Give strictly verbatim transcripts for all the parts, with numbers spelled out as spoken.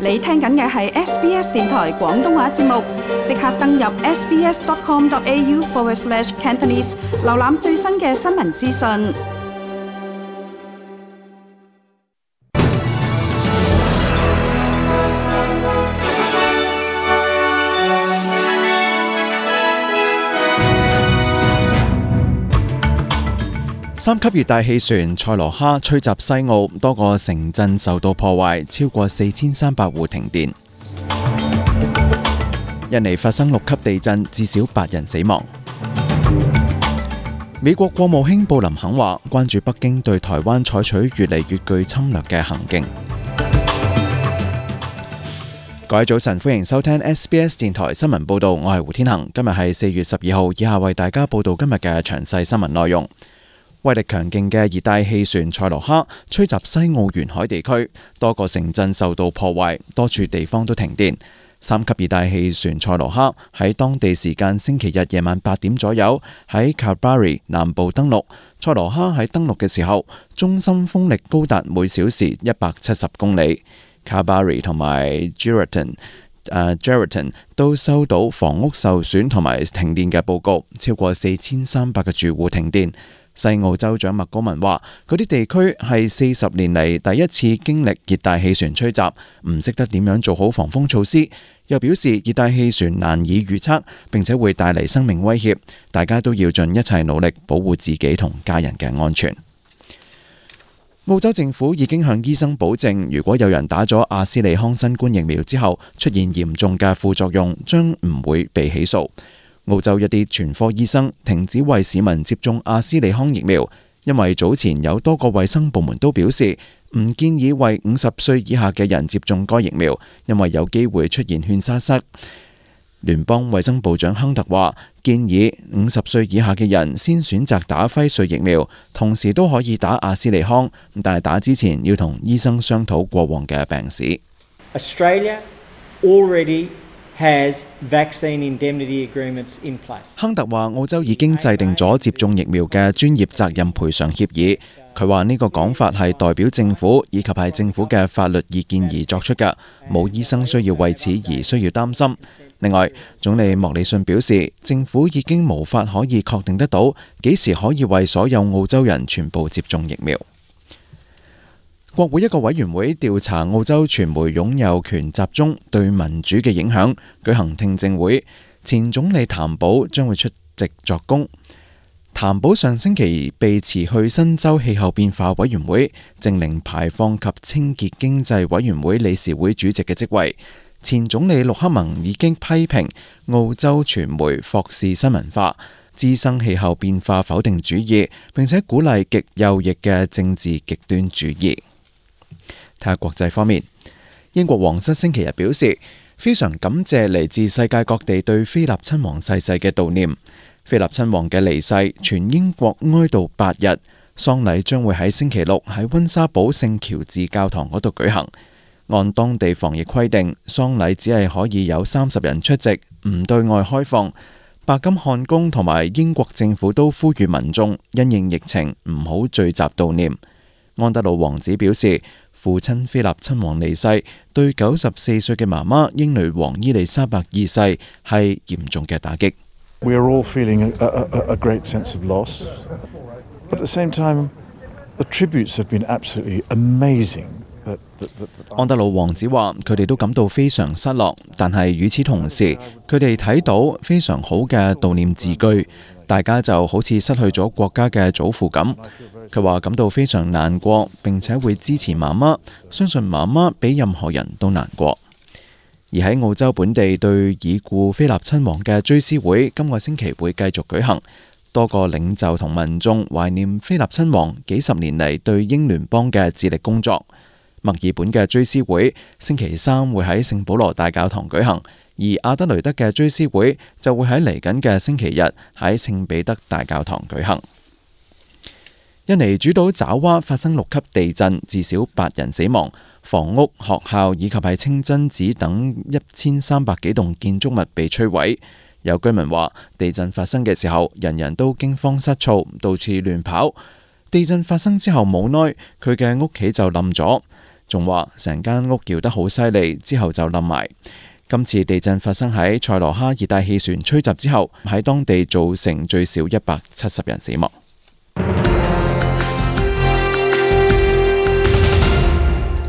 你聽緊嘅係 S B S 電台廣東話節目，即刻登入 sbs.com.au forward slash Cantonese， 瀏覽最新嘅新聞資訊。三級熱帶氣旋塞羅哈吹襲西澳，多個城鎮受到破壞，超過四千三百戶停電。印尼發生六級地震，至少八人死亡。美國國務卿布林肯話，關注北京對台灣採取越嚟越具侵略嘅行徑。各位早晨，歡迎收聽 S B S 電台新聞報道，我係胡天恒。今日係四月十二號，以下為大家報道今日嘅詳細新聞內容。威力強勁嘅熱帶氣旋塞羅哈吹襲西澳沿海地區，多個城鎮受到破壞，多處地方都停電。三級熱帶氣旋塞羅哈喺當地時間星期日夜晚八點左右喺 Kalbarri 南部登陸。塞羅哈喺登陸嘅時候，中心風力高達每小時一百七十公里。Kalbarri 同埋 Geraldton 誒 Geraldton 都收到房屋受損同埋停電嘅報告，超過四千三百個住戶停電。西澳州長麥高文話，嗰啲地區係四十年嚟第一次經歷熱帶氣旋吹襲，唔識得點樣做好防風措施。又表示熱帶氣旋難以預測，並且會帶嚟生命威脅，大家都要盡一切努力保護自己同家人嘅安全。澳洲政府已經向醫生保證，如果有人打咗阿斯利康新冠疫苗之後出現嚴重嘅副作用，將唔會被起訴。澳洲一啲全科醫生停止為市民接種阿斯利康疫苗，因為早前有多個衛生部門都表示唔建議為五十歲以下嘅人接種該疫苗，因為有機會出現勸沙塞。聯邦衛生部長亨特話，建議五十歲以下嘅人先選擇打輝瑞疫苗，同時都可以打阿斯利康，但係打之前要同醫生商討過往嘅病史。Australia already has vaccine indemnity agreements in place. 亨特話，澳洲已經制定咗接種疫苗嘅專業責任賠償協議。佢話呢個講法係代表政府以及係政府嘅法律意見而作出嘅，冇醫生需要為此而需要擔心。另外，總理莫里遜表示，政府已經無法可以確定得到幾時可以為所有澳洲人全部接種疫苗。國會一個委員會調查澳洲傳媒擁有權集中對民主嘅影響，舉行聽證會。前總理譚寶將會出席作供。譚寶上星期被辭去新州氣候變化委員會淨零排放及清潔經濟委員會理事會主席嘅職位。前總理陸克文已經批評澳洲傳媒霍士新聞化，滋生氣候變化否定主義，並且鼓勵極右翼嘅政治極端主義。睇下國際方面，英國皇室星期日表示，非常感謝嚟自世界各地對菲臘親王逝世嘅悼念。菲臘親王嘅離世，全英國哀悼八日，喪禮將會喺星期六喺溫莎堡聖喬治教堂嗰度舉行。按當地防疫規定，喪禮只係可以有三十人出席，唔對外開放。白金漢宮同埋英國政府都呼籲民眾因應疫情唔好聚集悼念。安德魯王子表示，父親菲臘親王離世，對九十四歲嘅媽媽英女王伊麗莎白二世係嚴重嘅打擊。We are all feeling a, a, a great sense of loss, but at the same time, the tributes have been absolutely amazing. 安德魯王子話：佢哋都感到非常失落，但係與此同時，佢哋睇到非常好嘅悼念字句，大家就好似失去咗國家嘅祖父咁。佢話感到非常難過，並且會支持媽媽，相信媽媽比任何人都難過。而喺澳洲本地對已故菲臘親王嘅追思會，今個星期會繼續舉行。多個領袖同民眾懷念菲臘親王幾十年嚟對英聯邦嘅致力工作。墨爾本嘅追思會星期三會喺聖保羅大教堂舉行，而阿德雷德嘅追思會就會喺嚟緊嘅星期日喺聖彼得大教堂舉行。印尼主島爪哇發生六級地震，至少八人死亡，房屋、學校以及係清真寺等一千三百幾棟建築物被摧毀。有居民話，地震發生嘅時候，人人都驚慌失措，到處亂跑。地震發生之後冇耐，佢嘅屋企就冧咗。仲話成間屋搖得好犀利，之後就冧埋。今次地震發生喺塞羅哈熱帶氣旋吹襲之後，喺當地造成最少一百七十人死亡。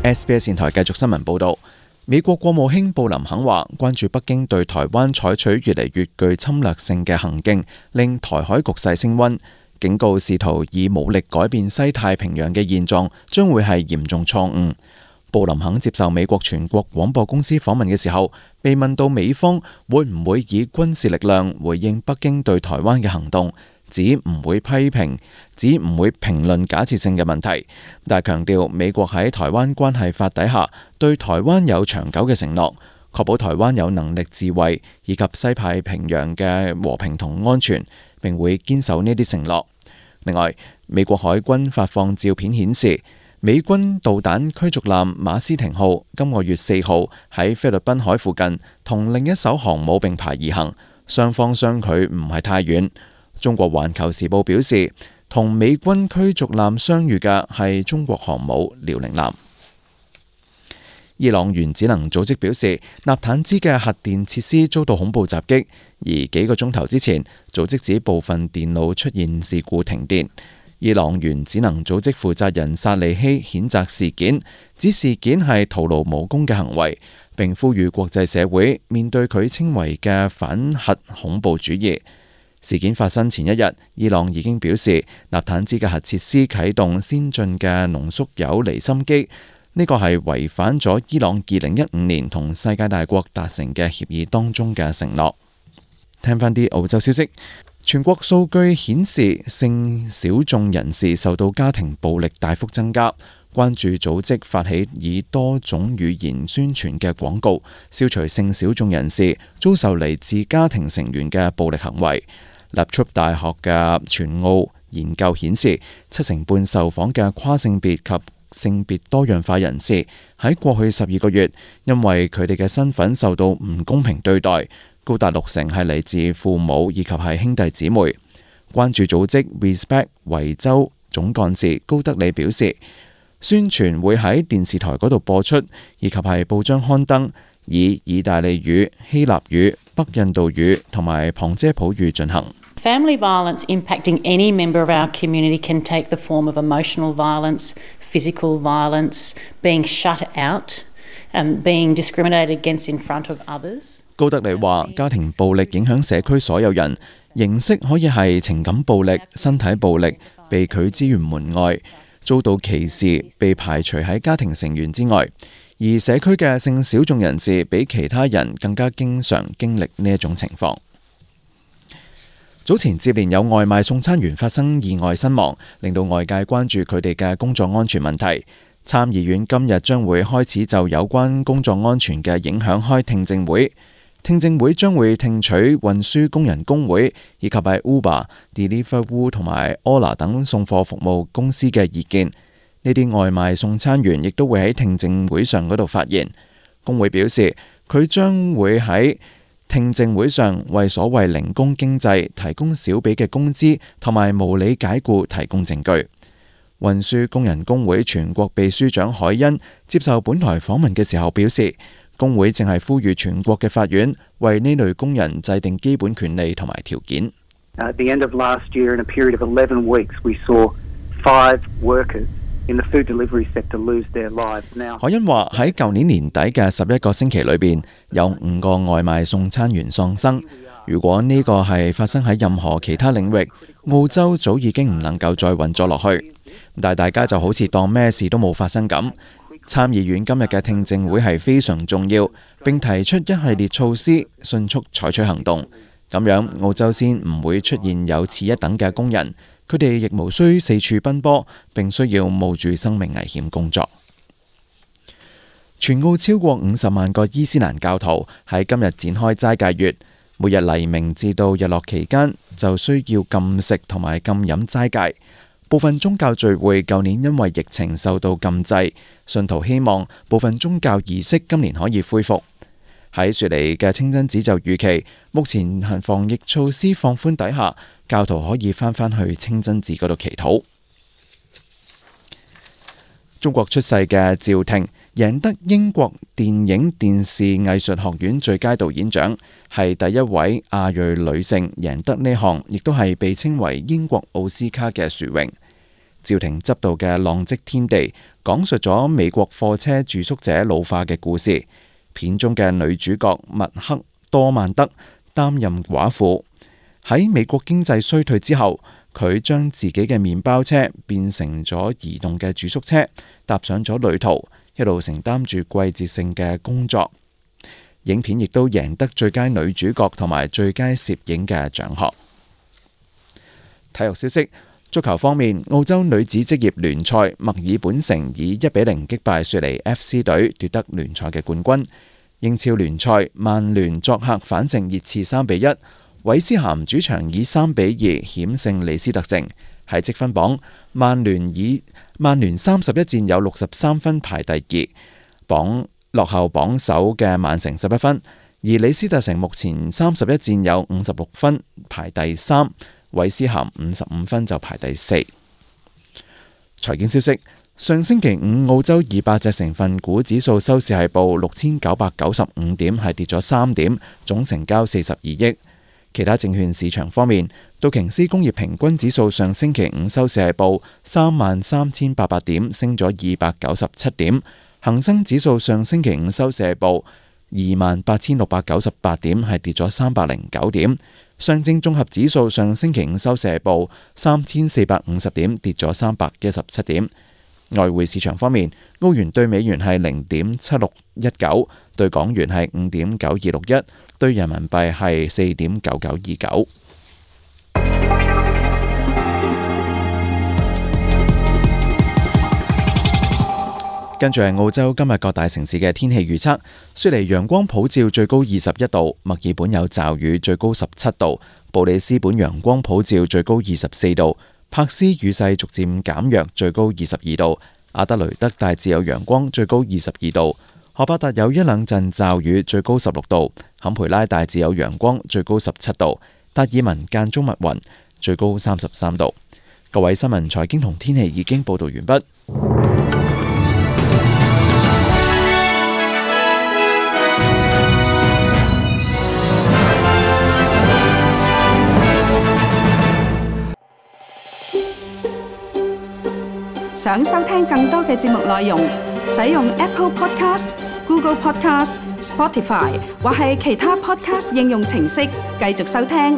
S B S 電台繼續新聞報導，美國國務卿布林肯話，關注北京對台灣採取越嚟越具侵略性嘅行徑，令台海局勢升溫，警告試圖以武力改變西太平洋嘅現狀將會係嚴重錯誤。布林肯接受美國全國廣播公司訪問嘅時候，被問到美方會唔會以軍事力量回應北京對台灣嘅行動，指唔會批評，指唔會評論假設性嘅問題，但係強調美國喺台灣關係法底下對台灣有長久嘅承諾，確保台灣有能力自衛以及西太平洋嘅和平同安全，並會堅守呢啲承諾。另外，美國海軍發放照片顯示，美軍導彈驅逐艦馬斯廷號今個月四號喺菲律賓海附近同另一艘航母並排而行，雙方相距唔係太遠。中國環球時報表示，同美軍驅逐艦相遇嘅係中國航母遼寧艦。伊朗原子能組織表示，納坦茲嘅核電設施遭到恐怖襲擊，而幾個鐘頭之前，組織指部分電腦出現事故停電。伊朗原子能組織負責人薩利希譴責事件，指事件係徒勞無功嘅行為，並呼籲國際社會面對佢稱為嘅反核恐怖主義。事件發生前一日，伊朗已經表示納坦茲嘅核設施啟動先進嘅濃縮鈾離心機，呢個係違反咗伊朗二零一五年同世界大國達成嘅協議當中嘅承諾。聽返啲澳洲消息。全國數據顯示，性小眾人士受到家庭暴力大幅增加。關注組織發起以多種語言宣傳嘅廣告，消除性小眾人士遭受嚟自家庭成員嘅暴力行為。立足大學嘅全澳研究顯示，七成半受訪嘅跨性別及性別多樣化人士喺過去十二個月，因為佢哋嘅身份受到唔公平對待。高達六成係嚟自父母以及係兄弟姊妹。關注組織 Respect 維州總幹事高德里表示，宣傳會喺電視台嗰度播出，以及係報章刊登，以意大利語、希臘語、北印度語同埋旁遮普語進行。Family violence impacting any member of our community can take the form of emotional violence, physical violence, being shut out, and being discriminated against in front of others. 高德里話：家庭暴力影響社區所有人，形式可以係情感暴力、身體暴力、被拒資源門外、遭到歧視、被排除喺家庭成員之外。而社區嘅性小眾人士比其他人更加經常經歷呢一種情況。早前接連有外賣送餐員發生意外身亡，令到外界關注佢哋嘅工作安全問題。參議院今日將會開始就有關工作安全嘅影響開聽證會。聽證會將會聽取運輸工人工會以及係 Uber、Deliveroo 同埋 Ola 等送貨服務公司嘅意見。呢啲外賣送餐員亦都會喺聽證會上嗰度發言。工會表示，佢將會喺聽證會上為所謂零工經濟提供少畀嘅工資同埋無理解僱提供證據。運輸工人工會全國秘書長海恩接受本台訪問嘅時候表示，工會正係呼籲全國嘅法院為呢類工人制定基本權利同埋條件。At the end of last year, in a period of eleven weeks, we saw five workers in the food delivery sector lose their lives. Now，海恩話喺舊年年底嘅十一個星期裏邊，有五個外賣送餐員喪生。如果呢個係發生喺任何其他領域，澳洲早已經唔能夠再運作落去。但係大家就好似當咩事都冇發生咁。參議院今日嘅聽證會係非常重要，並提出一系列措施，迅速採取行動。咁樣澳洲先唔會出現有次一等嘅工人，佢哋亦無需四處奔波，並需要冒住生命危險工作。全澳超過五十萬個伊斯蘭教徒喺今日展開齋戒月，每日黎明至到日落期間就需要禁食同埋禁飲齋戒。部分宗教聚會舊年因為疫情受到禁制，信徒希望部分宗教儀式今年可以恢復。喺雪梨嘅清真寺就預期，目前防疫措施放寬底下，教徒可以翻返去清真寺嗰度祈禱。中國出世嘅趙婷贏得英國電影電視藝術學院最佳導演獎，係第一位亞裔女性贏得呢項，亦都係被稱為英國奧斯卡嘅殊榮。趙婷執導嘅《浪跡天地》講述咗美國貨車住宿者老化嘅故事。片中嘅女主角麥克多曼德擔任寡婦，喺美國經濟衰退之後，佢將自己嘅麵包車變成咗移動嘅住宿車，踏上咗旅途，一路承擔住季節性嘅工作。影片亦都贏得最佳女主角同埋最佳攝影嘅獎項。體育消息，足球方面，澳洲女子職業聯賽墨爾本城以一比零擊敗雪梨 F C 隊，奪得聯賽嘅冠軍。英超聯賽，曼聯作客反勝熱刺三比一。韋斯咸主場以三比二險勝李斯特城。喺積分榜，曼聯以曼聯三十一戰有六十三分排第二，榜落後榜首嘅曼城十一分。而李斯特城目前三十一戰有五十六分排第三，韋斯咸五十五分就排第四。財經消息，上星期五澳洲二百隻成分股指數收市係報六千九百九十五點，係跌咗三點，總成交四十二億。其他證券市場方面，道瓊斯工業平均指數上星期五收市係報三萬三千八百點，升咗二百九十七點。恒生指數上星期五收市係報二萬八千六百九十八點，係跌咗三百零九點。上證綜合指數上星期五收市係報三千四百五十點，跌咗三百一十七點。外匯市場方面，澳元對美元係零點七六一九，對港元係五點九二六一，對人民幣係四點九九二九。跟住係澳洲今日各大城市嘅天氣預測：雪梨陽光普照，最高二十一度；墨爾本有驟雨，最高十七度；布里斯本陽光普照，最高二十四度。柏斯雨勢逐漸減弱，最高二十二度；阿德雷德大致有陽光，最高二十二度；荷伯特有一兩陣驟雨，最高十六度；坎培拉大致有陽光，最高十七度；達爾文間中密雲，最高三十三度。各位新聞、財經同天氣已經報道完畢。想收聽更多嘅節目內容，使用 Apple Podcast、Google Podcast、Spotify 或係其他 Podcast 應用程式繼續收聽。